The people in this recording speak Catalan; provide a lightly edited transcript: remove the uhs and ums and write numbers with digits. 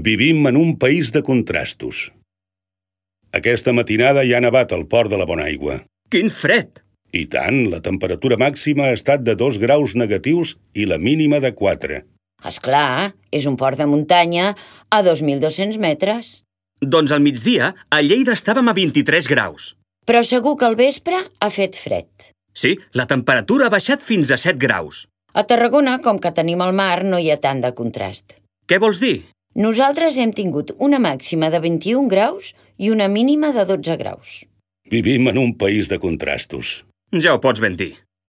Vivim en un país de contrastos. Aquesta matinada hi ha nevat al port de la Bonaigua. Quin fred! I tant, la temperatura màxima ha estat de 2 graus negatius i la mínima de 4. Esclar, és un port de muntanya a 2.200 metres. Doncs al migdia, a Lleida estàvem a 23 graus. Però segur que al vespre ha fet fred. Sí, la temperatura ha baixat fins a 7 graus. A Tarragona, com que tenim el mar, no hi ha tant de contrast. Què vols dir? Nosaltres hem tingut una màxima de 21 graus i una mínima de 12 graus. Vivim en un país de contrastos. Ja ho pots ben dir.